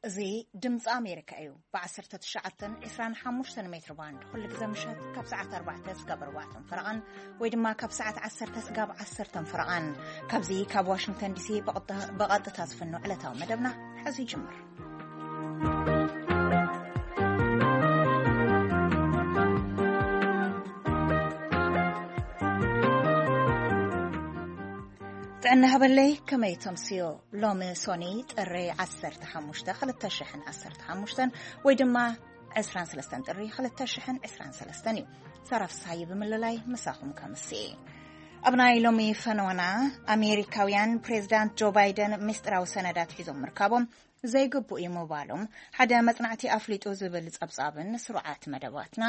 እዚ ድምፂ ኣሜሪካ እዩ። ብ19 ብ25 ሜትር ባንድ ኩሉ ግዜ ምሸት ካብ ሰዓት ኣርባዕተ ስጋብ ኣርባዕተን ፈረቓን ወይ ድማ ካብ ሰዓት ዓሰርተ ስጋብ ዓሰርተን ፈረቓን፣ ካብዚ ካብ ዋሽንግተን ዲሲ ብቐጥታ ዝፍኖ ዕለታዊ መደብና ሕዚ ይጅምር። ጥዕና ሃበለይ፣ ከመይ ተምስዮ? ሎሚ ሶኒ ጥሪ 15 2015 ወይ ድማ 23 ጥሪ 2023 እዩ። ሰራፍ ሳይ ብምልላይ ምሳኹም ከምሲ። ኣብ ናይ ሎሚ ፈነዋና፣ ኣሜሪካውያን ፕሬዚዳንት ጆ ባይደን ምስጢራዊ ሰነዳት ሒዞም ምርካቦም ዘይግቡእ እዩ ምባሎም ሓደ መጽናዕቲ ኣፍሊጡ ዝብል ጸብጻብን ስሩዓት መደባትና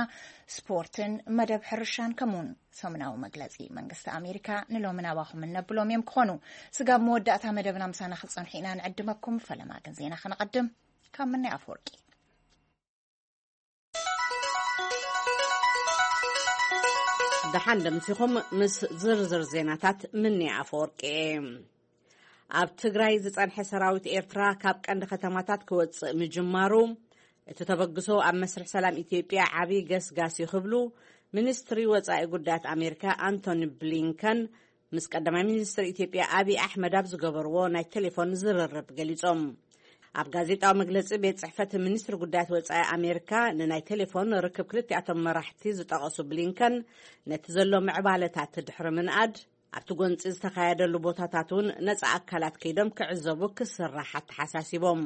ስፖርትን መደብ ሕርሻን ከምኡውን ሰሙናዊ መግለጺ መንግስቲ ኣሜሪካ ንሎሚ ናባኹም እነብሎም እዮም ክኾኑ። ስጋብ መወዳእታ መደብና ምሳና ክትጸንሑ ኢና ንዕድመኩም። ፈለማ ግን ዜና ከነቐድም ካብ ምኒ ኣፈወርቂ። ደሓን ደምሲኹም ምስ ዝርዝር ዜናታት ምኒ ኣፈወርቂ እየ። ኣብ ትግራይ ዝጸንሐ ሰራዊት ኤርትራ ካብ ቀንዲ ከተማታት ክወጽእ ምጅማሩ፣ እቲ ተበግሶ ኣብ መስርሕ ሰላም ኢትዮጵያ ዓቢ ገስጋስ እዩ ክብሉ ሚኒስትሪ ወጻኢ ጉዳያት ኣሜሪካ ኣንቶኒ ብሊንከን ምስ ቀዳማይ ሚኒስትር ኢትዮጵያ ኣቢ ኣሕመድ ኣብ ዝገበርዎ ናይ ቴሌፎን ዝርርብ ገሊጾም። ኣብ ጋዜጣዊ መግለጺ ቤት ጽሕፈት ሚኒስትሪ ጉዳያት ወጻኢ ኣሜሪካ ንናይ ቴሌፎን ርክብ ክልቲኣቶም መራሕቲ ዝጠቐሱ ብሊንከን፣ ነቲ ዘሎ ምዕባለታት ድሕሪ ምንኣድ፣ ኣብቲ ጎንጺ ዝተኻየደሉ ቦታታት እውን ነጻ ኣካላት ከይዶም ክዕዘቡ ክስራሕ ኣተሓሳሲቦም።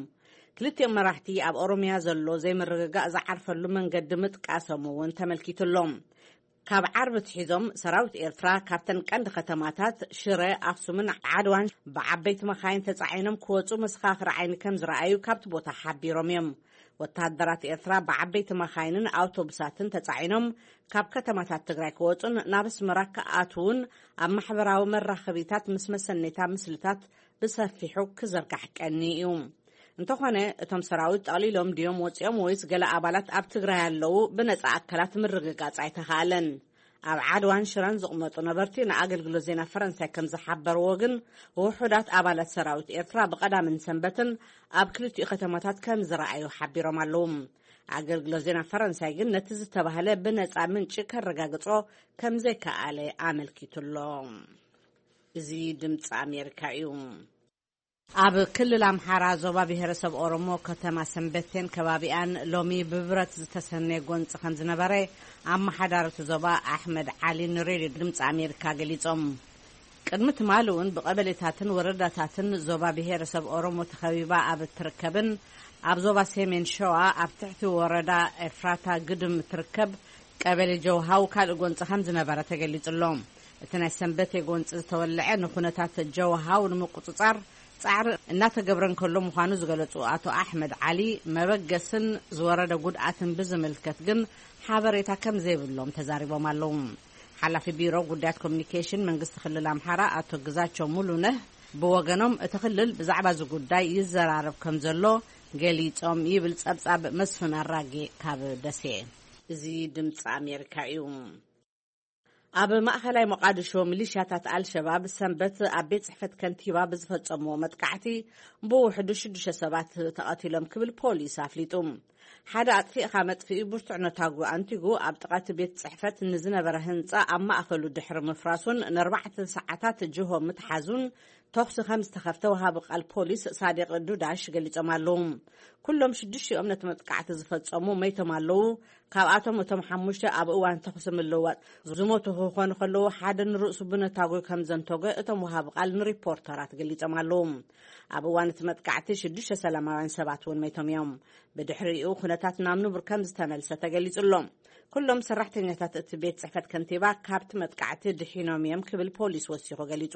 ክልቲኦም መራሕቲ ኣብ ኦሮምያ ዘሎ ዘይምርግጋእ ዝዓርፈሉ መንገዲ ምጥቃሶም እውን ተመልኪቱሎም። ካብ ዓርቢ ኣትሒዞም ሰራዊት ኤርትራ ካብተን ቀንዲ ከተማታት ሽረ፣ ኣክሱምን ዓድዋን ብዓበይቲ መኻይን ተጻዒኖም ክወጹ መሰኻኽሪ ዓይኒ ከም ዝረኣዩ ካብቲ ቦታ ሓቢሮም እዮም። ወተሃደራት ኤርትራ ብዓበይቲ መኻይንን ኣውቶቡሳትን ተጻዒኖም ካብ ከተማታት ትግራይ ክወጹን ናብ ኣስመራ ክኣትዉን ኣብ ማሕበራዊ መራኸቢታት ምስ መሰነይታ ምስልታት ብሰፊሑ ክዝርጋሕ ቀኒ እዩ። እንተኾነ፣ እቶም ሰራዊት ጠቕሊሎም ድዮም ወጺኦም ወይስ ገለ ኣባላት ኣብ ትግራይ ኣለዉ ብነጻ ኣካላት ምርግጋጽ ኣይተኻእለን። ኣብ ዓድዋን ሽረን ዝቕመጡ ነበርቲ ንኣገልግሎት ዜና ፈረንሳይ ከም ዝሓበርዎ ግን፣ ውሑዳት ኣባላት ሰራዊት ኤርትራ ብቐዳምን ሰንበትን ኣብ ክልቲኡ ከተማታት ከም ዝረኣዩ ሓቢሮም ኣለዉ። ኣገልግሎት ዜና ፈረንሳይ ግን ነቲ ዝተባህለ ብነጻ ምንጪ ከረጋግጾ ከም ዘይከኣለ ኣመልኪቱ ኣሎ። እዚ ድምፂ ኣሜሪካ እዩ። ኣብ ክልል ኣምሓራ ዞባ ብሄረሰብ ኦሮሞ ከተማ ሰንበቴን ከባቢኣን ሎሚ ብብረት ዝተሰነየ ጎንፂ ከም ዝነበረ ኣመሓዳሪ እቲ ዞባ ኣሕመድ ዓሊ ንሬድዮ ድምፂ ኣሜሪካ ገሊፆም። ቅድሚ ትማሊ እውን ብቐበሌታትን ወረዳታትን ዞባ ብሄረሰብ ኦሮሞ ተኸቢባ ኣብ እትርከብን ኣብ ዞባ ሰሜን ሸዋ ኣብ ትሕቲ ወረዳ ኤፍራታ ግድም እትርከብ ቀበሌ ጀውሃው ካልእ ጎንፂ ከም ዝነበረ ተገሊፁ ኣሎ። እቲ ናይ ሰንበቴ ጎንፂ ዝተወልዐ ንኩነታት ጀውሃው ንምቁፅፃር ፃዕሪ እናተገብረ እንከሎ ምዃኑ ዝገለፁ ኣቶ ኣሕመድ ዓሊ፣ መበገስን ዝወረደ ጉድኣትን ብዝምልከት ግን ሓበሬታ ከም ዘይብሎም ተዛሪቦም ኣለዉ። ሓላፊ ቢሮ ጉዳያት ኮሚኒኬሽን መንግስቲ ክልል ኣምሓራ ኣቶ ግዛቸው ሙሉነህ ብወገኖም፣ እቲ ክልል ብዛዕባ እዚ ጉዳይ ይዘራረብ ከም ዘሎ ገሊጾም ይብል ጸብጻብ መስፍን ኣራጌ ካብ ደሴ። እዚ ድምፂ ኣሜሪካ እዩ። ኣብ ማእኸላይ ሞቃዲሾ ሚሊሽያታት ኣልሸባብ ሰንበት ኣብ ቤት ጽሕፈት ከንቲባ ብዝፈጸምዎ መጥቃዕቲ ብውሕዱ ሽዱሽተ ሰባት ተቐቲሎም ክብል ፖሊስ ኣፍሊጡ። ሓደ ኣጥፊእኻ መጥፍኢ ብርቱዕ ነታጒ ኣንቲጉ ኣብ ጥቓ እቲ ቤት ጽሕፈት ንዝነበረ ህንጻ ኣብ ማእከሉ ድሕሪ ምፍራሱን ንኣርባዕተ ሰዓታት ጅሆ ምትሓዙን ተኹሲ ከም ዝተኸፍተ ወሃቢ ቃል ፖሊስ ሳዲቕ ዱዳሽ ገሊጾም ኣለዉ። ኩሎም ሽዱሽቲኦም ነቲ መጥቃዕቲ ዝፈጸሙ መይቶም ኣለዉ። ካብኣቶም እቶም ሓሙሽተ ኣብ እዋን ተኹሲ ምልውዋጥ ዝሞቱ ክኾኑ ከለዉ፣ ሓደ ንርእሱ ብነታጒ ከም ዘንተጎ እቶም ወሃቢ ቃል ንሪፖርተራት ገሊጾም ኣለዉ። ኣብ እዋን እቲ መጥቃዕቲ ሽዱሽተ ሰላማውያን ሰባት እውን መይቶም እዮም። ብድሕሪኡ ኩነታት ናብ ንቡር ከም ዝተመልሰ ተገሊጹ ኣሎ። ኩሎም ሰራሕተኛታት እቲ ቤት ጽሕፈት ከንቲባ ካብቲ መጥቃዕቲ ድሒኖም እዮም ክብል ፖሊስ ወሲኹ ገሊጹ።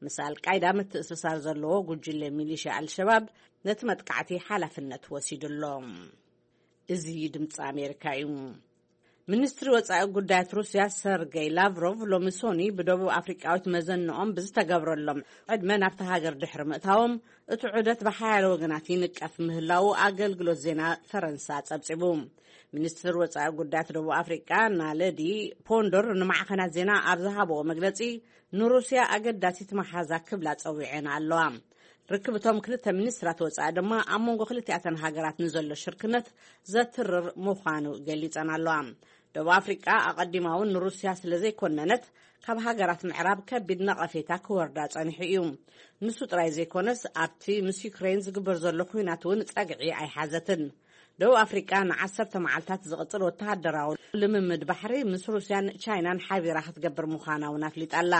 ምስ ኣልቃይዳ ምትእስሳር ዘለዎ ጉጅለ ሚሊሽያ ኣልሸባብ ነቲ መጥቃዕቲ ሓላፍነት ወሲዱ ኣሎ። እዚ ድምፂ ኣሜሪካ እዩ። ሚኒስትሪ ወፃኢ ጉዳያት ሩስያ ሰርጌይ ላቭሮቭ ሎሚ ሶኒ ብደቡብ ኣፍሪቃዊት መዘንኦም ብዝተገብረሎም ዕድመ ናብቲ ሃገር ድሕሪ ምእታዎም፣ እቲ ዑደት ብሓያለ ወገናት ይንቀፍ ምህላዉ ኣገልግሎት ዜና ፈረንሳ ጸብጺቡ። ሚኒስትር ወጻኢ ጉዳያት ደቡብ ኣፍሪቃ ናለዲ ፖንዶር ንማዕኸናት ዜና ኣብ ዝሃብዎ መግለጺ፣ ንሩስያ ኣገዳሲት መሓዛ ክብላ ጸዊዐን ኣለዋ። ርክብቶም ክልተ ሚኒስትራት ወጻኢ ድማ ኣብ መንጎ ክልቲኣተን ሃገራት ንዘሎ ሽርክነት ዘትርር ምዃኑ ገሊጸን ኣለዋ። ደቡብ ኣፍሪቃ ኣቐዲማ እውን ንሩስያ ስለ ዘይኮነነት፣ ካብ ሃገራት ምዕራብ ከቢድ ነቐፌታ ክወርዳ ጸኒሑ እዩ። ንሱ ጥራይ ዘይኮነስ፣ ኣብቲ ምስ ዩክሬን ዝግበር ዘሎ ኲናት እውን ጸግዒ ኣይሓዘትን። ደቡብ ኣፍሪቃ ንዓሰርተ መዓልታት ዝቕጽል ወተሃደራዊ ልምምድ ባሕሪ ምስ ሩስያን ቻይናን ሓቢራ ክትገብር ምዃና እውን ኣፍሊጣ ኣላ።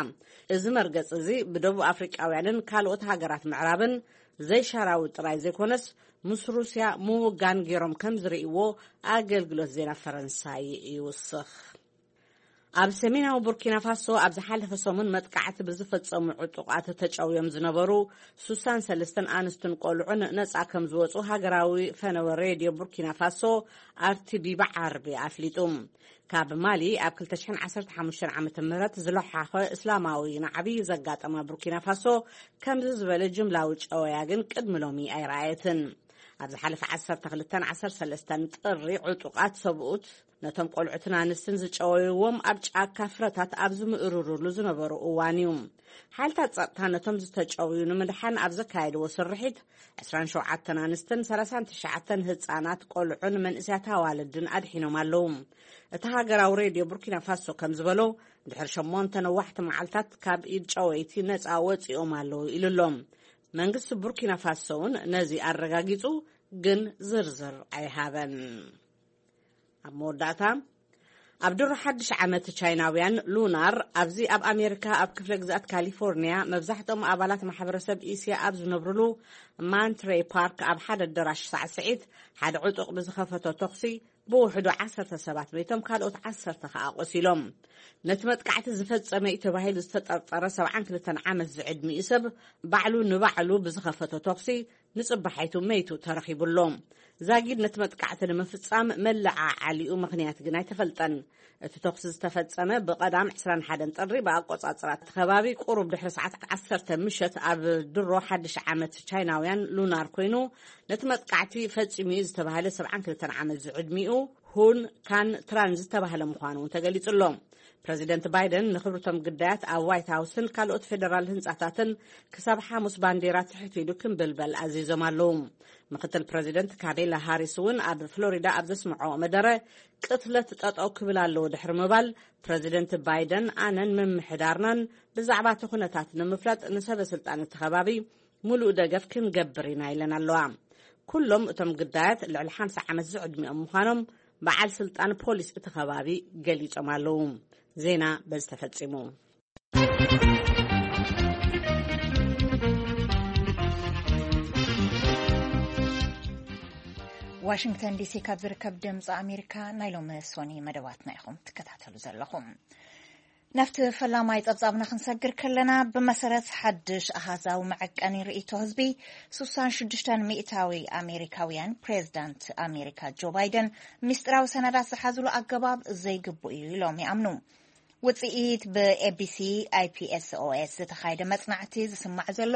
እዚ መርገጽ እዚ ብደቡብ ኣፍሪቃውያንን ካልኦት ሃገራት ምዕራብን ዘይሻራዊ ጥራይ ዘይኮነስ፣ ምስ ሩስያ ምውጋን ገይሮም ከም ዝርእይዎ ኣገልግሎት ዜና ፈረንሳይ ይውስኽ። ኣብ ሰሜናዊ ቡርኪና ፋሶ ኣብ ዝሓለፈ ሰሙን መጥቃዕቲ ብዝፈጸሙ ዕጡቓት ተጨውዮም ዝነበሩ ሱሳን ሰለስተን ኣንስትን ቆልዑን ነጻ ከም ዝወጹ ሃገራዊ ፈነወ ሬድዮ ቡርኪና ፋሶ፣ ኣርቲቢ፣ ብዓርቢ ኣፍሊጡ። ካብ ማሊ ኣብ ክልተ ሽሕን ዓሰርተ ሓሙሽተን ዓመተ ምህረት ዝለሓኸ እስላማዊ ናዕቢ ዘጋጠማ ቡርኪና ፋሶ፣ ከምዚ ዝበለ ጅምላዊ ጨወያ ግን ቅድሚ ሎሚ ኣይረኣየትን። ኣብ ዝሓለፈ ዓሰርተ ክልተን ዓሰርተ ሰለስተን ጥሪ፣ ዕጡቓት ሰብኡት ነቶም ቆልዑትን ኣንስትን ዝጨወይዎም ኣብ ጫካ ፍረታት ኣብ ዝምእርሩሉ ዝነበሩ እዋን እዩ። ሓይልታት ጸጥታ ነቶም ዝተጨውዩ ንምድሓን ኣብ ዘካየድዎ ስርሒት፣ ዕስራን ሸውዓተን ኣንስትን ሰላሳን ትሽዓተን ህጻናት ቆልዑን መንእሰያት ኣዋልድን ኣድሒኖም ኣለዉ። እቲ ሃገራዊ ሬድዮ ቡርኪና ፋሶ ከም ዝበሎ፣ ድሕሪ ሸሞንተ ነዋሕቲ መዓልታት ካብ ኢድ ጨወይቲ ነጻ ወጺኦም ኣለዉ ኢሉ ኣሎ። መንግስቲ ቡርኪና ፋሶ እውን ነዚ ኣረጋጊጹ፣ ግን ዝርዝር ኣይሃበን። ኣብ መወዳእታ፣ ኣብ ድሮ ሓድሽ ዓመት ቻይናውያን ሉናር፣ ኣብዚ ኣብ ኣሜሪካ ኣብ ክፍለ ግዝኣት ካሊፎርኒያ መብዛሕትኦም ኣባላት ማሕበረሰብ እስያ ኣብ ዝነብሩሉ ማንትሬ ፓርክ ኣብ ሓደ ኣዳራሽ ሳዕስዒት ሓደ ዕጡቕ ብዝኸፈቶ ተኹሲ ብውሕዱ ዓሰርተ ሰባት መይቶም፣ ካልኦት ዓሰርተ ከኣ ቆሲሎም። ነቲ መጥቃዕቲ ዝፈጸመ እዩ ተባሂሉ ዝተጠርጠረ ሰብዓን ክልተን ዓመት ዝዕድሚኡ ሰብ ባዕሉ ንባዕሉ ብዝኸፈቶ ተኹሲ ንጽባሒቱ መይቱ ተረኺቡ ኣሎ። ዛጊድ ነቲ መጥቃዕቲ ንምፍጻም መለዓዓሊኡ ምኽንያት ግን ኣይተፈልጠን። እቲ ተኹሲ ዝተፈጸመ ብቐዳም ዕስራን ሓደን ጥሪ ብኣቆጻጽራ እቲ ከባቢ ቁሩብ ድሕሪ ሰዓት ዓሰርተ ምሸት ኣብ ድሮ ሓድሽ ዓመት ቻይናውያን ሉናር ኮይኑ፣ ነቲ መጥቃዕቲ ፈጺሙ እዩ ዝተባህለ ሰብዓን ክልተን ዓመት ዝዕድሚኡ ሁን ካን ትራን ዝተባህለ ምዃኑ እውን ተገሊጹ ኣሎ። ፕረዚደንት ባይደን ንኽብርቶም ግዳያት ኣብ ዋይት ሃውስን ካልኦት ፌደራል ህንጻታትን ክሳብ ሓሙስ ባንዴራ ትሕት ኢሉ ክምብልበል ኣዚዞም ኣለዉ። ምክትል ፕረዚደንት ካሜላ ሃሪስ እውን ኣብ ፍሎሪዳ ኣብ ዘስምዖ መደረ፣ ቅትለት ጠጠው ክብል ኣለዎ ድሕሪ ምባል፣ ፕረዚደንት ባይደን ኣነን ምምሕዳርናን ብዛዕባ እቲ ኩነታት ንምፍላጥ ንሰበ ስልጣን እቲ ከባቢ ምሉእ ደገፍ ክንገብር ኢና ኢለን ኣለዋ። ኩሎም እቶም ግዳያት ልዕሊ ሓምሳ ዓመት ዝዕድሚኦም ምዃኖም በዓል ስልጣን ፖሊስ እቲ ከባቢ ገሊጾም ኣለዉ። ዜና በዚ ተፈጺሙ። ዋሽንግተን ዲሲ ካብ ዝርከብ ድምፂ ኣሜሪካ ናይ ሎሚ ሶኒ መደባትና ኢኹም ትከታተሉ ዘለኹም። ናብቲ ፈላማይ ጸብጻብና ክንሰግር ከለና፣ ብመሰረት ሓድሽ ኣሃዛዊ መዐቀኒ ርእይቶ ህዝቢ፣ ስሳን ሽዱሽተን ሚእታዊ ኣሜሪካውያን ፕሬዝዳንት ኣሜሪካ ጆ ባይደን ሚስጥራዊ ሰነዳት ዝሓዝሉ ኣገባብ ዘይግቡእ እዩ ኢሎም ይኣምኑ። ውጽኢት ብኤቢሲ ኣይፒኤስኦኤስ ዝተኻየደ መጽናዕቲ ዝስማዕ ዘሎ፣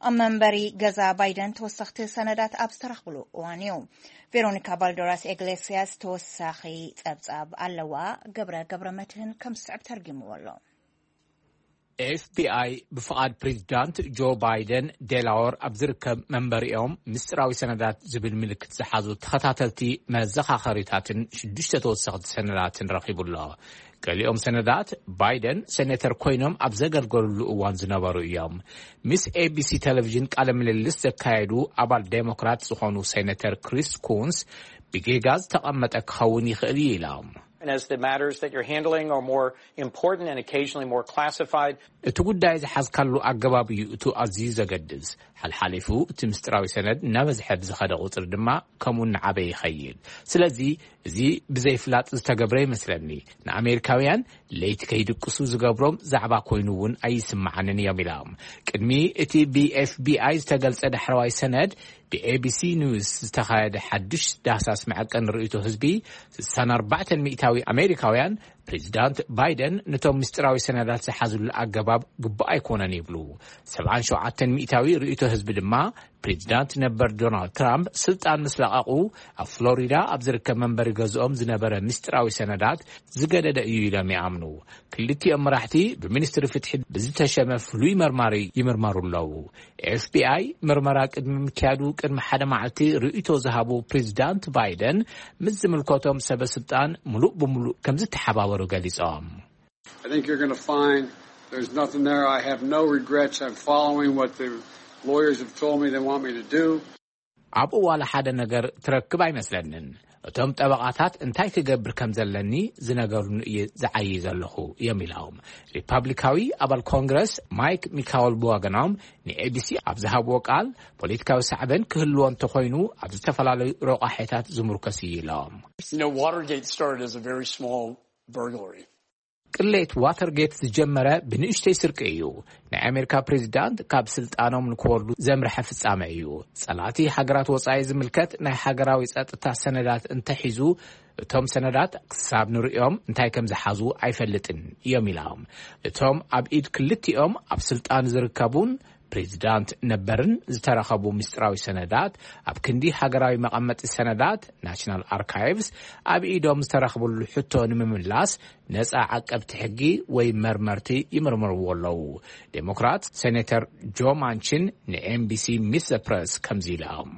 ኣብ መንበሪ ገዛ ባይደን ተወሰኽቲ ሰነዳት ኣብ ዝተረኽብሉ እዋን እዩ። ቬሮኒካ ባልደራስ ኤግሌሲያስ ተወሳኺ ጸብጻብ ኣለዋ። ገብረ ገብረ መድህን ከም ዝስዕብ ተርጊምዎ ኣሎ። ኤፍቢኣይ ብፍቓድ ፕሬዚዳንት ጆ ባይደን ዴላወር ኣብ ዝርከብ መንበሪኦም ምስጢራዊ ሰነዳት ዝብል ምልክት ዝሓዙ ተኸታተልቲ መዘኻኸሪታትን ሽዱሽተ ተወሰኽቲ ሰነዳትን ረኺቡ ኣሎ። ገሊኦም ሰነዳት ባይደን ሴኔተር ኮይኖም ኣብ ዘገልገሉሉ እዋን ዝነበሩ እዮም። ምስ ኤቢሲ ቴሌቪዥን ቃለ ምልልስ ዘካየዱ ኣባል ዴሞክራት ዝኾኑ ሴኔተር ክሪስ ኩንስ፣ ብጌጋ ዝተቐመጠ ክኸውን ይኽእል እዩ ኢሎም። And as the matters that you're handling are more important and occasionally more classified, እቲ ጉዳይ ዝሓዝካሉ ኣገባብ እዩ እቱ ኣዝዩ ዘገድስ። ሓልሓሊፉ እቲ ምስጢራዊ ሰነድ እናበዝሐ ብዝኸደ ቁጽሪ ድማ ከምኡ እናዓበየ ይኸይድ። ስለዚ እዚ ብዘይፍላጥ ዝተገብረ ይመስለኒ። ንኣሜሪካውያን ለይቲ ከይድቅሱ ዝገብሮም ዛዕባ ኮይኑ እውን ኣይስምዓንን እዮም ኢሎም። ቅድሚ እቲ ብኤፍቢኣይ ዝተገልጸ ዳሕረዋይ ሰነድ ብኤቢሲ ኒውስ ዝተኻየደ ሓድሽ ዳህሳስ መዐቀኒ ርእይቶ ህዝቢ፣ ስሳን ኣርባዕተን ሚእታዊ ኣሜሪካውያን ፕሬዚዳንት ባይደን ነቶም ምስጢራዊ ሰነዳት ዝሓዝሉ ኣገባብ ግቡእ ኣይኮነን ይብሉ። ሰብዓን ሸውዓተን ሚእታዊ ርእይቶ ህዝቢ ድማ፣ ፕሬዚዳንት ነበር ዶናልድ ትራምፕ ስልጣን ምስ ለቐቑ፣ ኣብ ፍሎሪዳ ኣብ ዝርከብ መንበሪ ገዝኦም ዝነበረ ምስጢራዊ ሰነዳት ዝገደደ እዩ ኢሎም ይኣምኑ። ክልቲኦም መራሕቲ ብሚኒስትሪ ፍትሒ ብዝተሸመ ፍሉይ መርማሪ ይምርመሩ ኣለዉ። ኤፍቢኣይ ምርመራ ቅድሚ ምክያዱ ቅድሚ ሓደ መዓልቲ ርእይቶ ዝሃቡ ፕሬዚዳንት ባይደን፣ ምስ ዝምልከቶም ሰበ ስልጣን ምሉእ ብምሉእ ከም ዝተሓባበሩ ገሊጾም። I think you're going to find there's nothing there. I have no regrets. I'm following what the lawyers have told me they want me to do. ኣብኡ ዋላ ሓደ ነገር ትረክብ ኣይመስለንን። እቶም ጠበቓታት እንታይ ክገብር ከም ዘለኒ ዝነገሩኒ እየ ዝዓዪ ዘለኹ እዮም ኢሎም። ሪፓብሊካዊ ኣባል ኮንግረስ ማይክ ሚካወል ብወገኖም ንኤቢሲ ኣብ ዝሃብዎ ቃል፣ ፖለቲካዊ ሳዕበን ክህልዎ እንተኾይኑ ኣብ ዝተፈላለዩ ረቋሒታት ዝምርኮስ እዩ ኢሎም። You know, Watergate started as a very small burglary. ቅሌት ዋተርጌት ዝጀመረ ብንእሽተይ ስርቂ እዩ። ናይ ኣሜሪካ ፕሬዚዳንት ካብ ስልጣኖም ንክወርዱ ዘምርሐ ፍጻመ እዩ። ጸላእቲ ሃገራት ወጻኢ ዝምልከት ናይ ሃገራዊ ጸጥታ ሰነዳት እንተሒዙ፣ እቶም ሰነዳት ክሳብ ንርእዮም እንታይ ከም ዝሓዙ ኣይፈልጥን እዮም ኢሎም። እቶም ኣብ ኢድ ክልቲኦም ኣብ ስልጣን ዝርከቡን ፕሬዚዳንት ነበርን ዝተረኸቡ ምስጢራዊ ሰነዳት ኣብ ክንዲ ሃገራዊ መቐመጢ ሰነዳት ናሽናል ኣርካይቭስ ኣብ ኢዶም ዝተረኽብሉ ሕቶ ንምምላስ ነጻ ዓቀብቲ ሕጊ ወይ መርመርቲ ይምርምርዎ ኣለዉ። ዴሞክራት ሴኔተር ጆ ማንቺን ንኤምቢሲ ሚስ ዘ ፕረስ ከምዚ ኢሎም።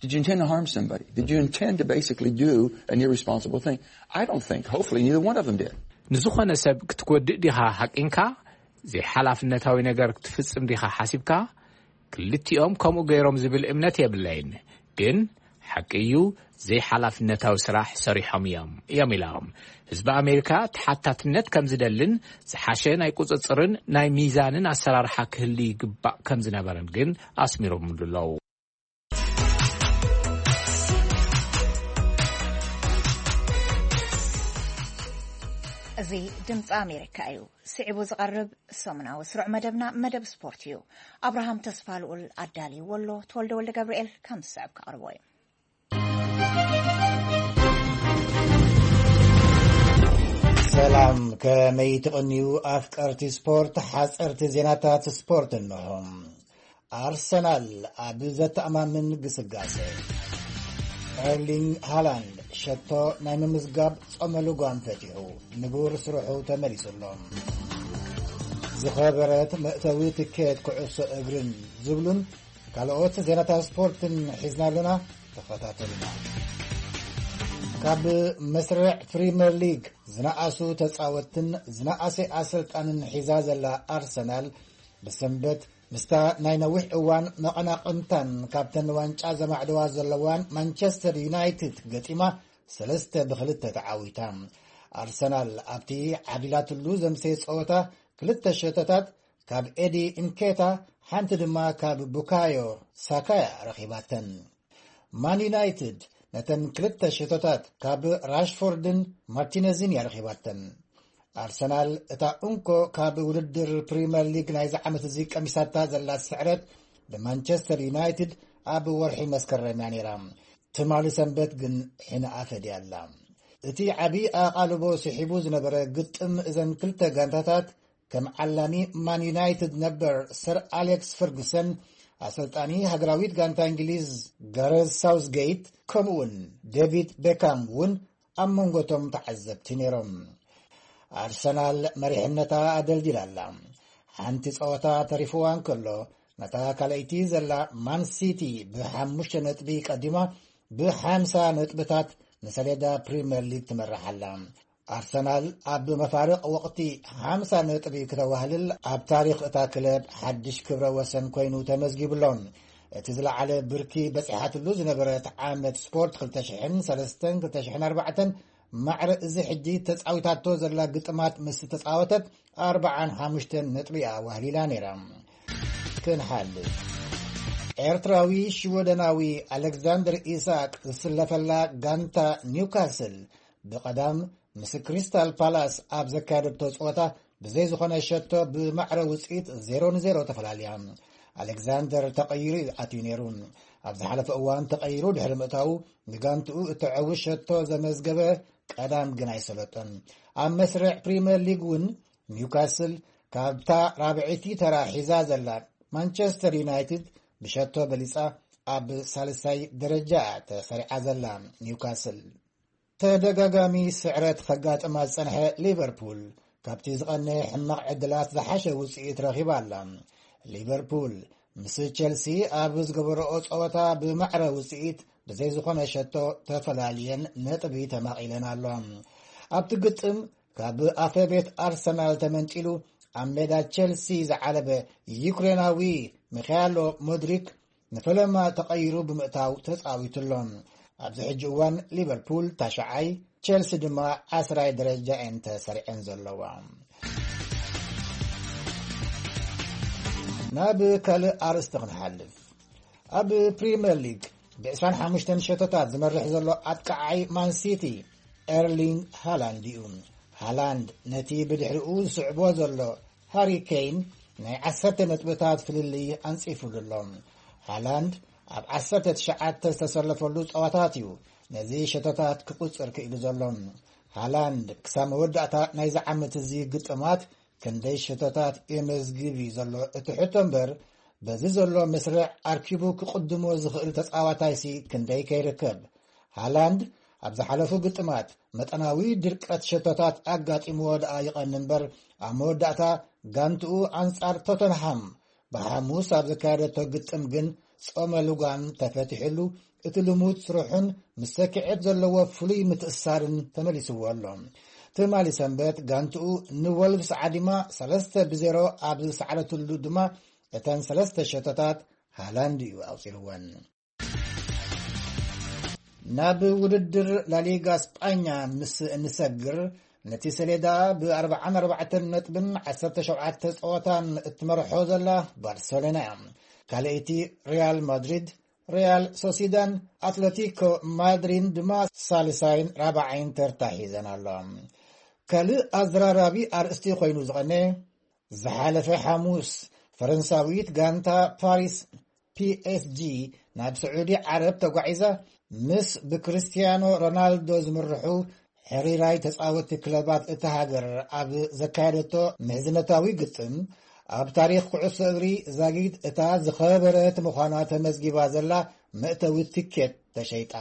Did you intend to harm somebody? Did you intend to basically do an irresponsible thing? I don't think. Hopefully, neither one of them did. ንዝኾነ ሰብ ክትጎድእ ዲኻ ሃቂንካ? ዘይሓላፍነታዊ ነገር ክትፍጽም ዲኻ ሓሲብካ? ክልቲኦም ከምኡ ገይሮም ዝብል እምነት የብለይን። ግን ሓቂ እዩ፣ ዘይሓላፍነታዊ ስራሕ ሰሪሖም እዮም እዮም ኢሎም። ህዝቢ ኣሜሪካ ተሓታትነት ከም ዝደልን ዝሓሸ ናይ ቁጽጽርን ናይ ሚዛንን ኣሰራርሓ ክህሉ ይግባእ ከም ዝነበረን ግን ኣስሚሮምሉ ኣለዉ። እዚ ድምፂ ኣሜሪካ እዩ። ስዒቡ ዝቐርብ ሰሙናዊ ስሩዕ መደብና መደብ ስፖርት እዩ። ኣብርሃም ተስፋ ልኡል ኣዳልይዎ ኣሎ። ተወልደ ወልደ ገብርኤል ከም ዝስዕብ ከቕርቦ እዩ። ሰላም፣ ከመይ ትቕንዩ ኣፍቀርቲ ስፖርት? ሓፀርቲ ዜናታት ስፖርት እንሆ። ኣርሰናል ኣብ ዘተኣማምን ግስጋሴ። ኤርሊንግ ሃላንድ ሸቶ ናይ ምምዝጋብ ጾመ ልጓም ፈቲሑ፣ ንቡር ስርሑ ተመሊሱ ኣሎ። ዝኸበረት መእተዊ ትኬት ኩዕሶ እግርን ዝብሉን ካልኦት ዜናታት ስፖርትን ሒዝና ኣለና። ተኸታተሉና። ካብ መስርዕ ፕሪምየር ሊግ ዝነኣሱ ተጻወትን ዝነኣሰ ኣሰልጣንን ሒዛ ዘላ ኣርሰናል፣ ብሰንበት ምስታ ናይ ነዊሕ እዋን መቐናቕንታን ካብተን ዋንጫ ዘማዕደዋ ዘለዋን ማንቸስተር ዩናይትድ ገጢማ ሰለስተ ብክልተ ተዓዊታ። ኣርሰናል ኣብቲ ዓቢላትሉ ዘምሰየ ጸወታ ክልተ ሸቶታት ካብ ኤዲ እንኬታ፣ ሓንቲ ድማ ካብ ቡካዮ ሳካያ ረኺባተን። ማን ዩናይትድ ነተን ክልተ ሸቶታት ካብ ራሽፎርድን ማርቲነዝን እያ ረኺባተን። ኣርሰናል እታ እንኮ ካብ ውድድር ፕሪምየር ሊግ ናይዚ ዓመት እዚ ቀሚሳታ ዘላ ስዕረት ብማንቸስተር ዩናይትድ ኣብ ወርሒ መስከረም እያ ነይራ። ትማሊ ሰንበት ግን ሕነ ኣፈድያ ኣላ። እቲ ዓቢ ኣቓልቦ ስሒቡ ዝነበረ ግጥም እዘን ክልተ ጋንታታት ከም ዓላሚ ማን ዩናይትድ ነበር ሰር ኣሌክስ ፈርጉሰን፣ ኣሰልጣኒ ሃገራዊት ጋንታ እንግሊዝ ጋረዝ ሳውዝጌት፣ ከምኡውን ዴቪድ ቤካም እውን ኣብ መንጎቶም ተዓዘብቲ ነይሮም። ኣርሰናል መሪሕነታ ኣደልዲላ ኣላ። ሓንቲ ጸወታ ተሪፍዋ እንከሎ፣ ነታ ካልኣይቲ ዘላ ማን ሲቲ ብሓሙሽተ ነጥቢ ቀዲማ ብሓምሳ ነጥብታት ንሰሌዳ ፕሪምየር ሊግ ትመርሕ ኣላ። ኣርሰናል ኣብ መፋርቕ ወቕቲ ሓምሳ ነጥቢ ክተዋህልል ኣብ ታሪኽ እታ ክለብ ሓድሽ ክብረ ወሰን ኮይኑ ተመዝጊቡ ኣሎ። እቲ ዝለዓለ ብርኪ በጺሓትሉ ዝነበረት ዓመት ስፖርት ክልተ ሽሕን ሰለስተን ክልተ ሽሕን ኣርባዕተን ማዕረ እዚ ሕጂ ተጻዊታቶ ዘላ ግጥማት ምስ ተጻወተት ኣርባዓን ሓሙሽተን ነጥቢ እያ ዋህሊላ ነይራ። ክንሓልፍ፣ ኤርትራዊ ሽወደናዊ ኣሌክዛንደር ኢሳቅ ዝስለፈላ ጋንታ ኒውካስል ብቐዳም ምስ ክሪስታል ፓላስ ኣብ ዘካየደቶ ጸወታ ብዘይ ዝኾነ ሸቶ ብማዕረ ውጽኢት ዜሮ ንዜሮ ተፈላልያ። ኣሌክዛንደር ተቐይሩ እዩ ኣትዩ ነይሩ። ኣብ ዝሓለፈ እዋን ተቐይሩ ድሕሪ ምእታዉ ንጋንትኡ እተዐዊ ሸቶ ዘመዝገበ ቀዳም ግን ኣይሰለጦን። ኣብ መስርዕ ፕሪምየር ሊግ እውን ኒውካስል ካብታ ራብዐይቲ ተራ ሒዛ ዘላ ማንቸስተር ዩናይትድ ብሸቶ በሊጻ ኣብ ሳልሳይ ደረጃ ተሰሪዓ ዘላ ኒውካስል። ተደጋጋሚ ስዕረት ከጋጥማ ዝጸንሐ ሊቨርፑል ካብቲ ዝቐነ ሕማቕ ዕድላት ዝሓሸ ውጽኢት ረኺባ ኣላ። ሊቨርፑል ምስ ቸልሲ ኣብ ዝገበረኦ ጸወታ ብማዕረ ውጽኢት ብዘይ ዝኾነ ሸቶ ተፈላልየን ነጥቢ ተማቒለን ኣሎ። ኣብቲ ግጥም ካብ ኣፈ ቤት ኣርሰናል ተመንጢሉ ኣብ ሜዳ ቸልሲ ዝዓለበ ዩክሬናዊ ሚኻያሎ ሞድሪክ ንፈለማ ተቐይሩ ብምእታው ተጻዊቱ ኣሎ። ኣብዚ ሕጂ እዋን ሊቨርፑል ታሽዓይ፣ ቸልሲ ድማ ዓስራይ ደረጃ እየን ተሰሪዐን ዘለዋ። ናብ ካልእ ኣርእስቲ ክንሓልፍ። ኣብ ፕሪምየር ሊግ ብ ዕስራን ሓሙሽተን ሸቶታት ዝመርሕ ዘሎ ኣጥቃዓይ ማን ሲቲ ኤርሊንግ ሃላንድ እዩ። ሃላንድ ነቲ ብድሕሪኡ ዝስዕቦ ዘሎ ሃሪ ኬን ናይ ዓሰርተ ነጥብታት ፍልልይ ኣንጺፉሉ ኣሎ። ሃላንድ ኣብ ዓሰርተ ትሽዓተ ዝተሰለፈሉ ጸዋታት እዩ ነዚ ሸቶታት ክቁጽር ክኢሉ ዘሎ። ሃላንድ ክሳብ መወዳእታ ናይዚ ዓመት እዚ ግጥማት ክንደይ ሸቶታት የመዝግብ እዩ ዘሎ እቲ ሕቶ እምበር፣ በዚ ዘሎ መስርዕ ኣርኪቡ ክቕድሞ ዝኽእል ተጻዋታይሲ ክንደይ ከይርከብ። ሃላንድ ኣብ ዝሓለፉ ግጥማት መጠናዊ ድርቀት ሸቶታት ኣጋጢምዎ ደኣ ይቐኒ እምበር፣ ኣብ መወዳእታ ጋንትኡ ኣንጻር ቶተንሃም ብሓሙስ ኣብ ዘካየደቶ ግጥም ግን ጾመ ልጓም ተፈቲሕሉ፣ እቲ ልሙድ ስርሑን ምስ ሰኪዔት ዘለዎ ፍሉይ ምትእስሳርን ተመሊስዎ ኣሎ። ትማሊ ሰንበት ጋንትኡ ንወልቭስ ዓዲማ ሰለስተ ብዜሮ ኣብ ዝሰዓረትሉ ድማ እተን ሰለስተ ሸቶታት ሃላንድ እዩ ኣውጺልወን። ናብ ውድድር ላሊጋ ስጳኛ ምስ እንሰግር፣ ነቲ ሰሌዳ ብ ኣርብዓን ኣርባዕተን ነጥብን ዓሰርተ ሸውዓተ ጸወታን እትመርሖ ዘላ ባርሰሎና እያ። ካልኣይቲ ሪያል ማድሪድ፣ ሪያል ሶሲዳን ኣትለቲኮ ማድሪን ድማ ሳልሳይን ራብዓይን ተርታ ሒዘን ኣለዋ። ካልእ ኣዘራራቢ ኣርእስቲ ኮይኑ ዝቐነ፣ ዝሓለፈ ሓሙስ ፈረንሳዊት ጋንታ ፓሪስ ፒኤስጂ ናብ ስዑዲ ዓረብ ተጓዒዛ፣ ምስ ብክርስቲያኖ ሮናልዶ ዝምርሑ ሕሪራይ ተጻወትቲ ክለባት እታ ሃገር ኣብ ዘካየደቶ ምሕዝነታዊ ግጥም፣ ኣብ ታሪኽ ኩዕሶ እግሪ ዛጊት እታ ዝኸበረት ምዃና ተመዝጊባ ዘላ መእተዊ ቲኬት ተሸይጣ።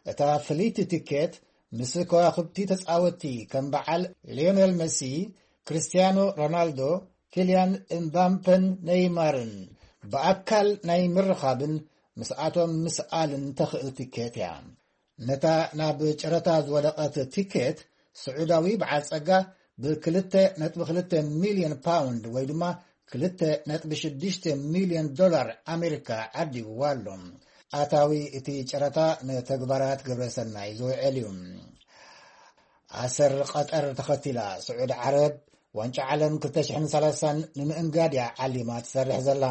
እታ ፍልይቲ ቲኬት ምስ ከዋኽብቲ ተጻወትቲ ከም በዓል ሊዮኔል መሲ፣ ክርስቲያኖ ሮናልዶ፣ ኪልያን እምባምፐን ኔይማርን ብኣካል ናይ ምርኻብን ምስኣቶም ምስኣልን ተኽእል ቲኬት እያ። ነታ ናብ ጨረታ ዝወደቐት ቲኬት ስዑዳዊ በዓል ጸጋ ብ ክልተ ነጥቢ ክልተ ሚልዮን ፓውንድ ወይ ድማ ክልተ ነጥቢ ሽዱሽተ ሚልዮን ዶላር ኣሜሪካ ዓዲግዋ ኣሎ። ኣታዊ እቲ ጨረታ ንተግባራት ግብረ ሰናይ ዝውዕል እዩ። ኣሰር ቀጠር ተኸቲላ ስዑድ ዓረብ ዋንጫ ዓለም ክልተ ሽሕን ሰላሳን ንምእንጋድ እያ ዓሊማ ትሰርሕ ዘላ።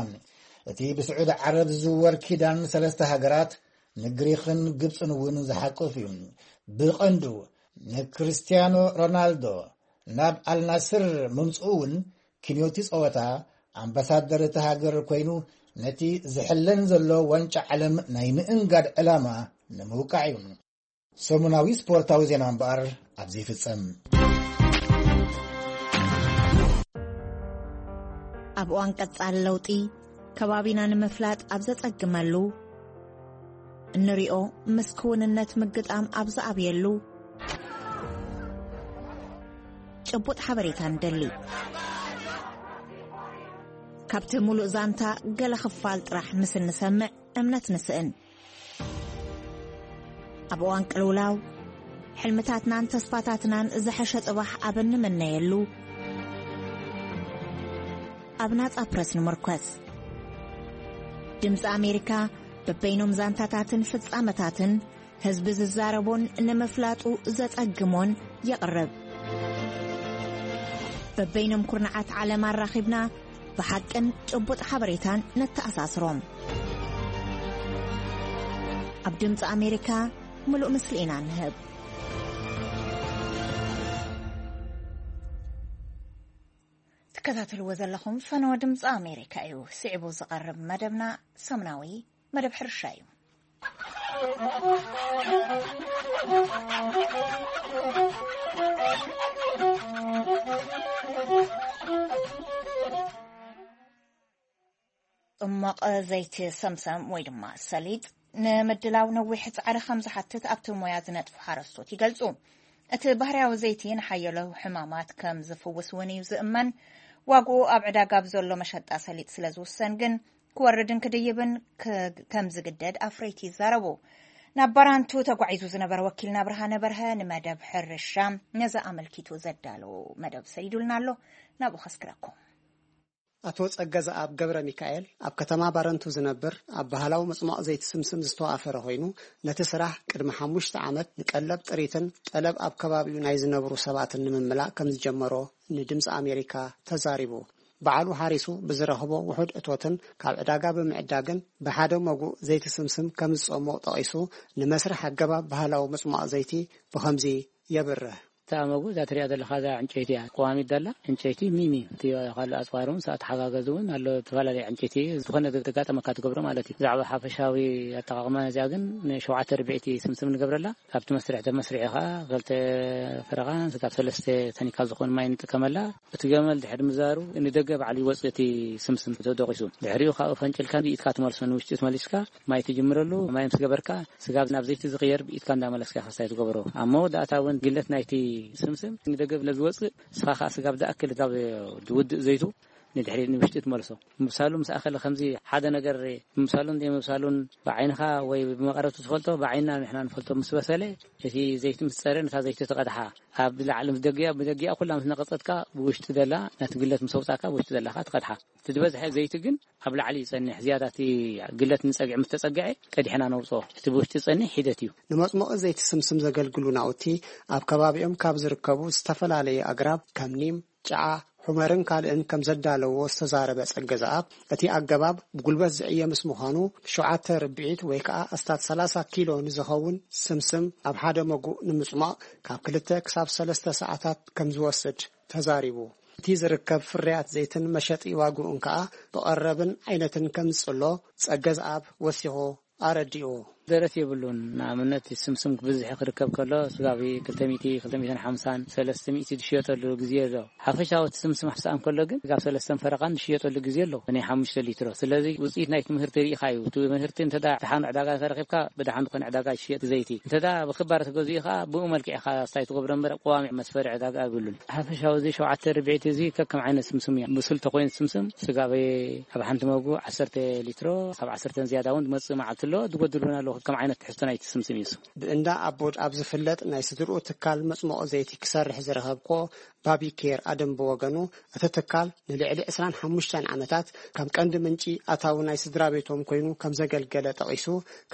እቲ ብስዑድ ዓረብ ዝዝወር ኪዳን ሰለስተ ሃገራት ንግሪኽን ግብጽን እውን ዝሓቁፍ እዩ። ብቐንዱ ንክርስቲያኖ ሮናልዶ ናብ ኣልናስር ምምጽኡ እውን ክንዮቲ ጸወታ ኣምባሳደር እቲ ሃገር ኮይኑ ነቲ ዝሕለን ዘሎ ዋንጫ ዓለም ናይ ምእንጋድ ዕላማ ንምውቃዕ እዩ። ሰሙናዊ ስፖርታዊ ዜና እምበኣር ኣብዚ ይፍጸም። ኣብ እዋን ቀጻሊ ለውጢ፣ ከባቢና ንምፍላጥ ኣብ ዘጸግመሉ፣ እንሪኦ ምስ ክውንነት ምግጣም ኣብ ዝኣብየሉ፣ ጭቡጥ ሓበሬታ ንደሊ። ካብቲ ሙሉእ ዛንታ ገለ ክፋል ጥራሕ ምስ እንሰምዕ እምነት ንስእን። ኣብ እዋን ቅልውላው፣ ሕልምታትናን ተስፋታትናን ዝሐሸ ጽባሕ ኣብ እንምነየሉ፣ ኣብ ናጻ ፕረስ ንምርኮስ። ድምጺ ኣሜሪካ በበይኖም ዛንታታትን ፍጻመታትን ህዝቢ ዝዛረቦን ንምፍላጡ ዘጸግሞን የቕርብ። በበይኖም ኩርናዓት ዓለም ኣራኺብና ብሓቅን ጭቡጥ ሓበሬታን ነተኣሳስሮም። ኣብ ድምጺ ኣሜሪካ ምሉእ ምስሊ ኢና ንህብ። ትከታተልዎ ዘለኹም ፈነወ ድምፂ ኣሜሪካ እዩ። ስዒቡ ዝቐርብ መደብና ሰሙናዊ መደብ ሕርሻ እዩ። ጽማቕ ዘይቲ ሰምሰም ወይ ድማ ሰሊጥ ንምድላው ነዊሕ ጻዕሪ ከም ዝሓትት ኣብቲ ሞያ ዝነጥፉ ሓረስቶት ይገልጹ። እቲ ባህርያዊ ዘይቲ ንሓያሎ ሕማማት ከም ዝፍውስ እውን እዩ ዝእመን። ዋግኡ ኣብ ዕዳጋ ብዘሎ መሸጣ ሰሊጥ ስለ ዝውሰን ግን ክወርድን ክድይብን ከ-፣ ከም ዝግደድ ኣፍረይቲ ይዛረቡ። ናብ ባራንቱ ተጓዒዙ ዝነበረ ወኪልና ብርሃነ በርሀ ንመደብ ሕርሻ ነዚ ኣመልኪቱ ዘዳለዎ መደብ ሰዲዱልና ኣሎ። ናብኡ ከስክረኩም። ኣቶ ጸገዘኣብ ገብረ ሚካኤል ኣብ ከተማ ባረንቱ ዝነብር፣ ኣብ ባህላዊ መጽሟቕ ዘይቲ ስምስም ዝተዋፈረ ኮይኑ፣ ነቲ ስራሕ ቅድሚ ሓሙሽተ ዓመት ንቀለብ ጥሪትን ጠለብ ኣብ ከባቢኡ ናይ ዝነብሩ ሰባትን ንምምላእ ከም ዝጀመሮ ንድምጺ ኣሜሪካ ተዛሪቡ። በዓሉ ሓሪሱ ብዝረኽቦ ውሑድ እቶትን ካብ ዕዳጋ ብምዕዳግን ብሓደ መጉእ ዘይቲ ስምስም ከም ዝጸምቕ ጠቒሱ፣ ንመስርሕ ኣገባብ ባህላዊ መጽሟቕ ዘይቲ ብኸምዚ የብርህ። እታ መጉእ እዛ ትሪኣ ዘለኻ እዛ ዕንጨይቲ እያ። ቀዋሚት ደላ ዕንጨይቲ ሚሚ። እቲ ካልእ ኣጽዋር እውን ሰኣት ሓጋገዝ እውን ኣሎ። ዝተፈላለየ ዕንጨይቲ ዝኾነ ዘጋጠመካ ትገብሮ ማለት እዩ። ብዛዕባ ሓፈሻዊ ኣጠቓቕማ እዚኣ ግን ንሸውዓተ ርብዒቲ ስምስም ንገብረላ። ኣብቲ መስርሕ ተመስሪዑ ኸዓ ክልተ ፈረቓን ስጋብ ሰለስተ ተኒካ ዝኾን ማይ ንጥቀመላ። እቲ ገመል ድሕሪ ምዛሩ ንደገ ባዕሉ ይወፅእ እቲ ስምስም ተደቂሱ። ድሕሪኡ ካብኡ ፈንጭልካ ብኢድካ ትመልሶ፣ ንውሽጢ ትመሊስካ ማይ ትጅምረሉ። ማይ ምስ ገበርካ ስጋብ ናብ ዘይቲ ዝቕየር ብኢድካ እንዳመለስካ ከስታይ ትገብሮ። ኣብ መወዳእታ እውን ግለት ናይቲ ስምስም ንደገ ብለ ዝወፅእ፣ ንስኻ ከዓ ስጋብ ዝኣክል ካብ ዝውድእ ዘይቱ ንድሕሪት ንውሽጢ ትመልሶ። ምብሳሉ ምስ ኣኸለ ከምዚ ሓደ ነገር ምብሳሉን ዘይምብሳሉን ብዓይንኻ ወይ ብመቐረቱ ትፈልጦ፣ ብዓይንና ንሕና ንፈልጦ። ምስ በሰለ እቲ ዘይቲ ምስ ጸረ ነታ ዘይቲ ትቐድሓ። ኣብ ላዕሊ ምስ ደጊኣ፣ ብደጊኣ ኩላ ምስ ነቐጸትካ ብውሽጢ ዘላ ነቲ ግለት ምስ ኣውጻእካ ብውሽጢ ዘላኻ ትቐድሓ። እቲ ዝበዝሐ ዘይቲ ግን ኣብ ላዕሊ ይጸንሕ። ዝያዳ እቲ ግለት ንጸግዒ ምስ ተጸግዐ ቀዲሕና ነውጽኦ። እቲ ብውሽጢ ዝጸንሕ ሒደት እዩ። ንመጽሞቒ ዘይቲ ስምስም ዘገልግሉ ናውቲ ኣብ ከባቢኦም ካብ ዝርከቡ ዝተፈላለዩ ኣግራብ ከም ኒም፣ ጨዓ፣ ሑመርን ካልእን ከም ዘዳለዎ ዝተዛረበ ጸገ ዘኣብ፣ እቲ ኣገባብ ብጉልበት ዝዕየ ምስ ምዃኑ፣ ሸውዓተ ርብዒት ወይ ከኣ ኣስታት ሰላሳ ኪሎ ንዝኸውን ስምስም ኣብ ሓደ መጉእ ንምጽሟቕ ካብ ክልተ ክሳብ ሰለስተ ሰዓታት ከም ዝወስድ ተዛሪቡ። እቲ ዝርከብ ፍርያት ዘይትን መሸጢ ዋግኡን ከኣ ብቐረብን ዓይነትን ከም ዝጽሎ ጸገ ዘኣብ ወሲኹ ኣረዲኡ። ደረት የብሉን። ንኣብነት፣ ስምስም ብብዝሒ ክርከብ ከሎ፣ ስጋብ ክልተ ሚእቲ፣ ክልተ ሚእትን ሓምሳን፣ ሰለስተ ሚእቲ ዝሽየጠሉ ግዜ ኣሎ። ሓፈሻዊ እቲ ስምስም ክስኣን ከሎ ግን፣ ስጋብ ሰለስተን ፈረቓን ዝሽየጠሉ ግዜ ኣሎ፣ ናይ ሓሙሽተ ሊትሮ። ስለዚ፣ ውጽኢት ናይቲ ምህርቲ ርኢኻ እዩ። እቲ ምህርቲ እንተ ደኣ ደሓን ዕዳጋ ተረኺብካ፣ ብደሓን ዝኾነ ዕዳጋ ይሽየጥ ዘይቲ። እንተ ደኣ ብክባር ተገዚኡ ኸኣ፣ ብኡ መልክዕ ኢኻ ስታይ ትገብሮ እምበር፣ ቀዋሚ መስፈሪ ዕዳጋ የብሉን። ሓፈሻዊ እዚ ሸውዓተ ርብዒት እዚ ከከም ዓይነት ስምስም እዩ። ብሱል ተኮይኑ ስምስም፣ ስጋብ ኣብ ሓንቲ መጉ ዓሰርተ ሊትሮ፣ ካብ ዓሰርተ ዝያዳ እውን ዝመጽእ መዓልቲ ኣሎ፣ ዝጎድል እውን ኣሎ፣ ከከም ዓይነት ትሕዝቶ ናይቲ ስምስም እዩ። ብእንዳ ኣቦድ ኣብ ዝፍለጥ ናይ ስድርኡ ትካል መጽሞቒ ዘይቲ ክሰርሕ ዝረኸብክዎ ባቢ ኬር ኣደም ብወገኑ፣ እቲ ትካል ንልዕሊ ዕስራን ሓሙሽተን ዓመታት ከም ቀንዲ ምንጪ ኣታዊ ናይ ስድራ ቤቶም ኮይኑ ከም ዘገልገለ ጠቒሱ፣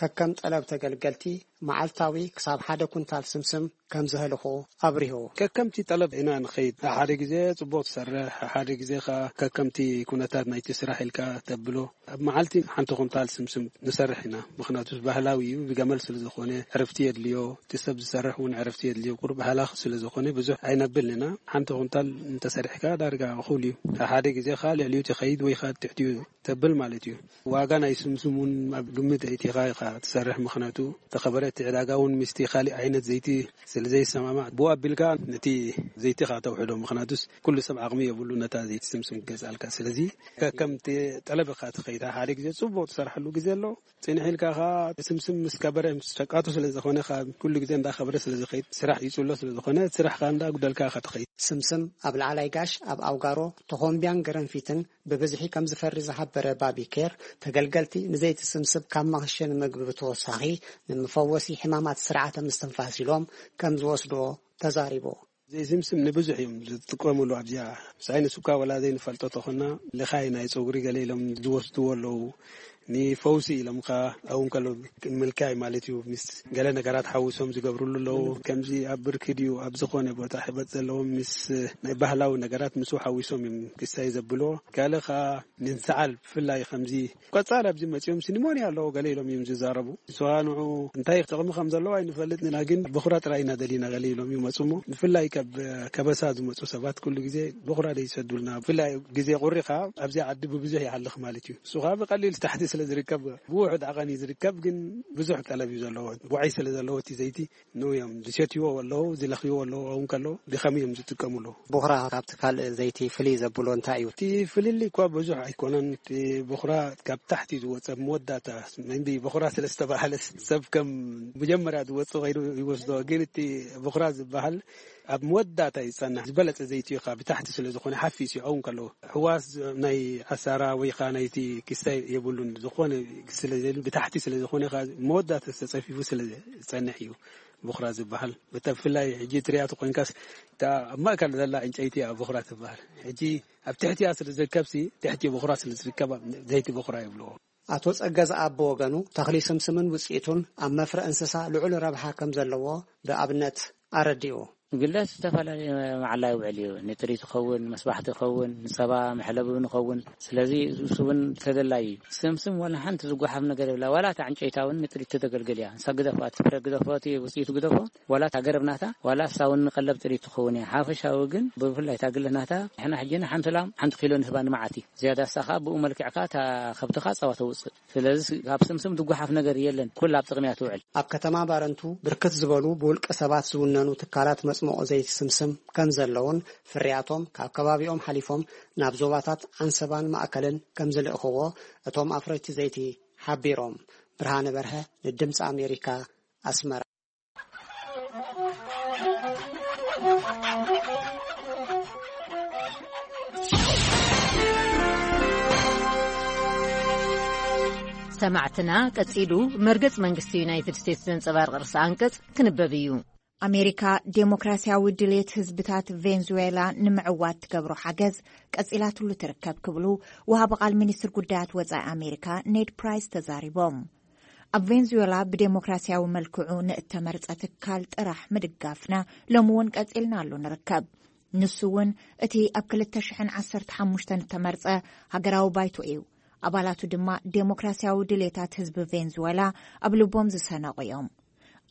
ከከም ጠለብ ተገልገልቲ መዓልታዊ ክሳብ ሓደ ኩንታል ስምስም ከም ዘህልኹ ኣብሪሁ። ከከምቲ ጠለብ ኢና ንኸይድ። ሓደ ግዜ ጽቡቕ ትሰርሕ፣ ሓደ ግዜ ኸኣ ከከምቲ ኩነታት ናይቲ ስራሕ ኢልካ ተብሎ። ኣብ መዓልቲ ሓንቲ ኩንታል ስምስም ንሰርሕ ኢና። ምኽንያቱ ባህላዊ እዩ፣ ብገመል ስለ ዝኾነ ዕረፍቲ የድልዮ። እቲ ሰብ ዝሰርሕ እውን ዕረፍቲ የድልዮ። ቁሩብ ሃላኽ ስለ ዝኾነ ብዙሕ ኣይነብልን ኢና። ሓንቲ ኩንታል እንተሰሪሕካ ዳርጋ እኹል እዩ። ሓደ ግዜ ኸኣ ልዕሊኡ ትኸይድ ወይ ኸኣ ትሕቲኡ ተብል ማለት እዩ። ዋጋ ናይ ስምስም እውን ኣብ ግምት ኣእቲኻ ኢኻ ትሰርሕ፣ ምኽንያቱ ተኸበረ እቲ ዕዳጋ እውን ምስቲ ካሊእ ዓይነት ዘይቲ ስለ ዘይሰማማዕ፣ ብኡ ኣቢልካ ነቲ ዘይቲ ኢኻ ተውሕዶ፣ ምኽንያቱስ ኩሉ ሰብ ዓቕሚ የብሉ ነታ ዘይቲ ስምስም ክገዝኣልካ። ስለዚ ከከምቲ ጠለብ ኢኻ ትኸይድ። ሓደ ግዜ ጽቡቕ ትሰርሓሉ ግዜ ኣሎ፣ ጽንሕ ኢልካ ኸኣ ስምስም ምስ ከበረ፣ ምስ ሸቃቱ ስለ ዝኾነ፣ ካብ ኩሉ ግዜ እንዳኸበረ ስለ ዝኸይድ፣ ስራሕ ይጽሎ ስለ ዝኾነ፣ ስራሕ ኸኣ እንዳጉደልካ ኢኻ ትኸይድ። ስምስም ኣብ ላዕላይ ጋሽ፣ ኣብ ኣውጋሮ፣ ተኾምቢያን ገረንፊትን ብብዝሒ ከም ዝፈሪ ዝሓበረ ባቢ ኬር፣ ተገልገልቲ ንዘይቲ ስምስም ካብ መኽሸኒ ምግቢ ብተወሳኺ፣ ንመፈወሲ ሕማማት ስርዓተ ምስትንፋስ ኢሎም ከም ዝወስድዎ ተዛሪቡ። ዘይቲ ስምስም ንብዙሕ እዮም ዝጥቀምሉ። ኣብዚኣ ሳይንስ እኳ ወላ ዘይንፈልጦ ተኾና፣ ልኻይ ናይ ጸጉሪ ገለ ኢሎም ዝወስድዎ ኣለዉ። ንፈውሲ ኢሎም ከኣ፣ ኣብኡ እንከሎ ምልካይ ማለት እዩ። ምስ ገለ ነገራት ሓዊሶም ዝገብርሉ ኣለዉ። ከምዚ ኣብ ብርኪ ድዩ፣ ኣብ ዝኾነ ቦታ ሕበጥ ዘለዎም፣ ምስ ናይ ባህላዊ ነገራት ምስኡ ሓዊሶም እዮም ክሳይ ዘብልዎ። ካልእ ከኣ ንሰዓል ብፍላይ ከምዚ ቆጻል ኣብዚ መጺኦም ሲ ኒሞንያ ኣለዎ ገለ ኢሎም እዮም ዝዛረቡ። ንስኻ ንዑ እንታይ ጥቕሚ ከም ዘለዎ ኣይንፈልጥን ኢና፣ ግን በኹራ ጥራይ ኢና ደሊና ገለ ኢሎም ይመጹ እሞ፣ ብፍላይ ካብ ከበሳ ዝመጹ ሰባት ኩሉ ግዜ በኹራ ደይ ይሰዱልና። ብፍላይ ግዜ ቁሪ ከኣ ኣብዚ ዓዲ ብብዙሕ ይሃልኽ ማለት እዩ። ንሱ ከኣ ብቐሊል ታሕቲ ስለ ዝርከብ፣ ብውሑድ ዓቐን እዩ ዝርከብ፣ ግን ብዙሕ ጠለብ እዩ ዘለዎ። ዋዒ ስለ ዘለዎ እቲ ዘይቲ፣ ንኡ እዮም ዝሸትዎ ኣለዉ፣ ዝለኽይዎ ኣለዉ። እውን ከለዉ ብኸም እዮም ዝጥቀሙ ኣለዉ። ቦኽራ ካብቲ ካልእ ዘይቲ ፍልይ ዘብሎ እንታይ እዩ? እቲ ፍልልይ እኳ ብዙሕ ኣይኮነን። እቲ ቦኽራ ካብ ታሕቲ ዝወፀ መወዳእታ፣ መንቢ ቦኽራ ስለ ዝተባህለ፣ ሰብ ከም መጀመርያ ዝወፅ ከይዱ ይወስዶ። ግን እቲ ቦኽራ ዝበሃል ኣብ መወዳእታ ይጸንሕ። ዝበለጸ ዘይቲ እዩ፣ ካብ ብታሕቲ ስለ ዝኾነ ሓፊስ እዩ። ኣውን ከለዉ ሕዋስ ናይ ኣሳራ ወይ ኸዓ ናይቲ ክስታይ የብሉን። ዝኾነ ስለ ዘየሉ፣ ብታሕቲ ስለ ዝኾነ ኸዓ መወዳእታ ተጸፊፉ ስለ ዝጸንሕ እዩ ብኹራ ዝበሃል። ብፍላይ ሕጂ ትሪኣቶ ኮይንካስ፣ እታ ኣብ ማእከል ዘላ ዕንጨይቲ እያ ብኹራ ትበሃል። ሕጂ ኣብ ትሕቲኣ ስለ ዝርከብሲ፣ ትሕቲ ብኹራ ስለ ዝርከብ፣ ዘይቲ ብኹራ ይብልዎ። ኣቶ ጸገ ዝኣብ ብወገኑ፣ ተኽሊ ስምስምን ውጽኢቱን ኣብ መፍረ እንስሳ ልዑል ረብሓ ከም ዘለዎ ብኣብነት ኣረዲኡ። ግለት ዝተፈላለየ መዓላ ይውዕል እዩ። ንጥሪት ይኸውን፣ መስባሕቲ ይኸውን፣ ንጸባ መሕለቢ እውን ይኸውን። ስለዚ እሱ እውን ተደላዩ እዩ። ስምስም ዋላ ሓንቲ ዝጓሓፍ ነገር የብላ። ዋላ እታ ዕንጨይታ እውን ንጥሪት ተገልግል እያ። ንሳ ግደፎ፣ እቲ ፍረ ግደፎ፣ እቲ ውጽኢቱ ግደፎ፣ ዋላ እታ ገረብ ናታ፣ ዋላ እሳ እውን ንቀለብ ጥሪት ትኸውን እያ። ሓፈሻዊ ግን ብፍላይ እታ ግለት ናታ፣ ንሕና ሕጂ ንሓንቲ ላም ሓንቲ ኪሎ ንህባ ንመዓልቲ። ዝያዳ እሳ ኸኣ ብኡ መልክዕካ እታ ከብትኻ ጸባ ተውጽእ። ስለዚ ካብ ስምስም ዝጓሓፍ ነገር የለን። ኩላ ኣብ ጥቕሚ እያ ትውዕል። ኣብ ከተማ ባረንቱ ብርክት ዝበሉ ብውልቀ ሰባት ዝውነኑ ትካላት መጽመቑ ዘይቲ ስምስም ከም ዘለውን፣ ፍርያቶም ካብ ከባቢኦም ሓሊፎም ናብ ዞባታት ዓንሰባን ማእከልን ከም ዝልእኽዎ እቶም ኣፍረይቲ ዘይቲ ሓቢሮም። ብርሃነ በርሀ ንድምፂ ኣሜሪካ፣ ኣስመራ። ሰማዕትና፣ ቀጺሉ መርገጽ መንግስቲ ዩናይትድ ስቴትስ ዘንጸባርቕ ርእሰ ኣንቀጽ ክንበብ እዩ። ኣሜሪካ ዴሞክራሲያዊ ድሌት ህዝብታት ቬንዙዌላ ንምዕዋት ትገብሮ ሓገዝ ቀጺላትሉ ትርከብ ክብሉ ወሃቢ ቃል ሚኒስትር ጉዳያት ወጻኢ ኣሜሪካ ኔድ ፕራይስ ተዛሪቦም። ኣብ ቬንዙዌላ ብዴሞክራሲያዊ መልክዑ ንእተመርጸ ትካል ጥራሕ ምድጋፍና ሎሚ እውን ቀጺልና ኣሎ ንርከብ። ንሱ እውን እቲ ኣብ ክልተ ሽሕን ዓሰርተ ሓሙሽተን እተመርጸ ሃገራዊ ባይቶ እዩ። ኣባላቱ ድማ ዴሞክራሲያዊ ድሌታት ህዝቢ ቬንዙዌላ ኣብ ልቦም ዝሰነቑ እዮም።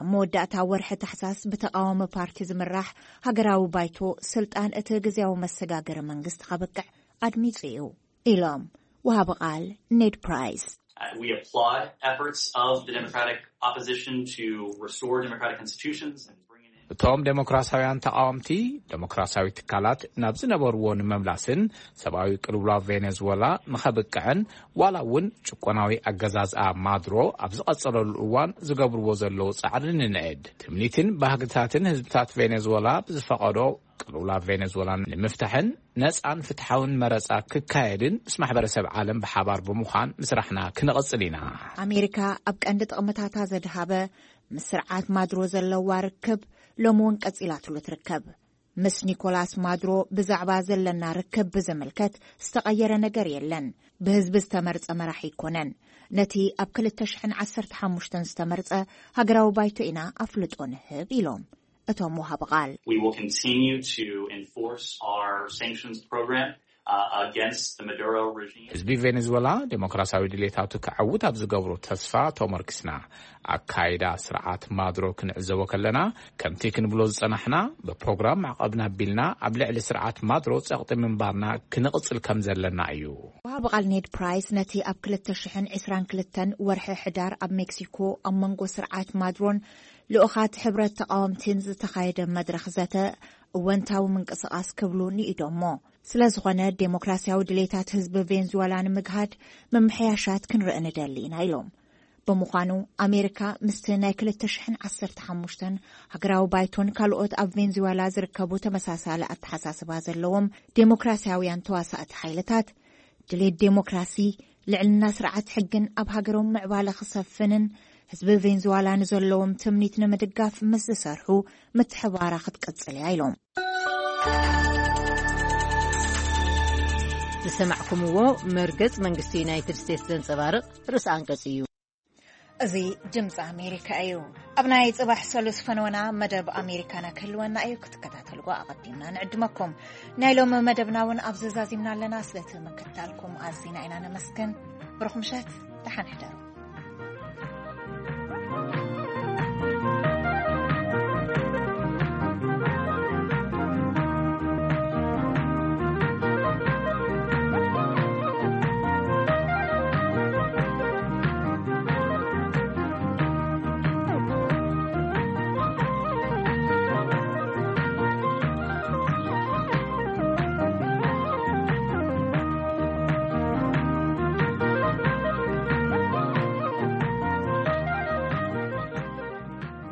ኣብ መወዳእታ ወርሒ ታሕሳስ ብተቓዋሚ ፓርቲ ዝምራሕ ሃገራዊ ባይቶ ስልጣን እቲ ግዝያዊ መሰጋገሪ መንግስቲ ከብቅዕ ኣድሚጹ እዩ ኢሎም ወሃቢ ቃል ኔድ ፕራይስ። Uh, we applaud efforts of the Democratic opposition to restore democratic institutions and bring in እቶም ዴሞክራሲያውያን ተቓወምቲ፣ ዴሞክራሲያዊ ትካላት ናብ ዝነበርዎ ንምምላስን ሰብኣዊ ቅልውላው ቬኔዙዌላ ንኸብቅዕን ዋላ እውን ጭቆናዊ ኣገዛዝኣ ማድሮ ኣብ ዝቐጸለሉ እዋን ዝገብርዎ ዘለዉ ጻዕሪ ንንዕድ። ትምኒትን ባህግታትን ህዝብታት ቬኔዙዌላ ብዝፈቐዶ ቅልውላው ቬኔዙዌላ ንምፍታሕን ነጻን ፍትሓውን መረጻ ክካየድን ምስ ማሕበረሰብ ዓለም ብሓባር ብምዃን ምስራሕና ክንቕጽል ኢና። ኣሜሪካ ኣብ ቀንዲ ጥቕምታታ ዘድሃበ ምስ ስርዓት ማድሮ ዘለዋ ርክብ ሎሚ እውን ቀጺላትሉ ትርከብ። ምስ ኒኮላስ ማድሮ ብዛዕባ ዘለና ርክብ ብዝምልከት ዝተቐየረ ነገር የለን። ብህዝቢ ዝተመርጸ መራሒ ኣይኮነን። ነቲ ኣብ ክልተ ሽሕን ዓሰርተ ሓሙሽተን ዝተመርጸ ሃገራዊ ባይቶ ኢና ኣፍልጦ ንህብ ኢሎም እቶም ወሃቢ ቃል። We will continue to enforce our sanctions program uh, against the Maduro regime. ህዝቢ ቬኔዙዌላ ዴሞክራሲያዊ ድሌታቱ ክዓውት ኣብ ዝገብሮ ተስፋ ተመርኪስና፣ ኣካይዳ ስርዓት ማድሮ ክንዕዘቦ ከለና፣ ከምቲ ክንብሎ ዝጸናሕና፣ ብፕሮግራም ማዕቐብና ኣቢልና ኣብ ልዕሊ ስርዓት ማድሮ ጸቕጢ ምንባርና ክንቕጽል ከም ዘለና እዩ። ወሃቢ ቃል ኔድ ፕራይስ ነቲ ኣብ ክልተ ሽሕን ዕስራን ክልተን ወርሒ ሕዳር ኣብ ሜክሲኮ ኣብ መንጎ ስርዓት ማድሮን ልኡኻት ሕብረት ተቓወምቲን ዝተኻየደ መድረኽ ዘተ እወንታዊ ምንቅስቓስ ክብሉ ንኢዶሞ። ስለ ዝኾነ፣ ዴሞክራሲያዊ ድሌታት ህዝቢ ቬንዙዌላ ንምግሃድ ምምሕያሻት ክንርኢ ንደሊ ኢና ኢሎም። ብምዃኑ፣ ኣሜሪካ ምስቲ ናይ ክልተ ሽሕን ዓሰርተ ሓሙሽተን ሃገራዊ ባይቶን ካልኦት ኣብ ቬንዙዌላ ዝርከቡ ተመሳሳሊ ኣተሓሳስባ ዘለዎም ዴሞክራሲያውያን ተዋሳእቲ ሓይልታት፣ ድሌት ዴሞክራሲ፣ ልዕልና ስርዓት ሕግን ኣብ ሃገሮም ምዕባለ ክሰፍንን ህዝቢ ቬንዙዋላ ንዘለዎም ትምኒት ንምድጋፍ ምስ ዝሰርሑ ምትሕባራ ክትቅጽል እያ ኢሎም። ዝሰማዕኩምዎ መርገጽ መንግስቲ ዩናይትድ ስቴትስ ዘንጸባርቕ ርእሰ ኣንቀጽ እዩ። እዚ ድምፂ ኣሜሪካ እዩ። ኣብ ናይ ጽባሕ ሰሉስ ፈነወና መደብ ኣሜሪካና ክህልወና እዩ። ክትከታተልዎ ኣቐዲምና ንዕድመኩም። ናይ ሎሚ መደብና እውን ኣብዚ ዛዚምና ኣለና። ስለቲ ምክትታልኩም ኣዚና ኢና ነመስግን። ብሩኽ ምሸት፣ ደሓን ሕደሩ።